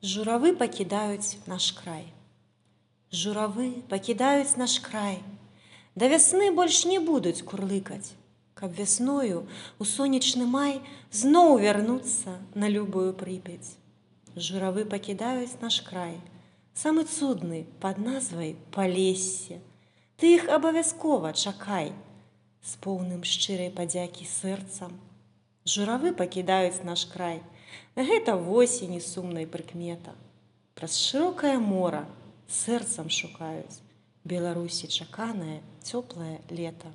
Журавы пакідаюць наш край. Журавы пакідаюць наш край. Да вясны больш не будуць курлыкаць, каб вясною у сонечны май зноў вярнуцца на любую Прыпяць. Журавы пакідаюць наш край, самы цудны пад назвай Палессе. Ты іх абавязкова чакай, з поўным шчырай падзякі сэрцам. Журавы пакідаюць наш край, гэта восені сумнай прыкмета. Праз шырокае мора сэрцам шукаюць Беларусі чаканае цёплае лета.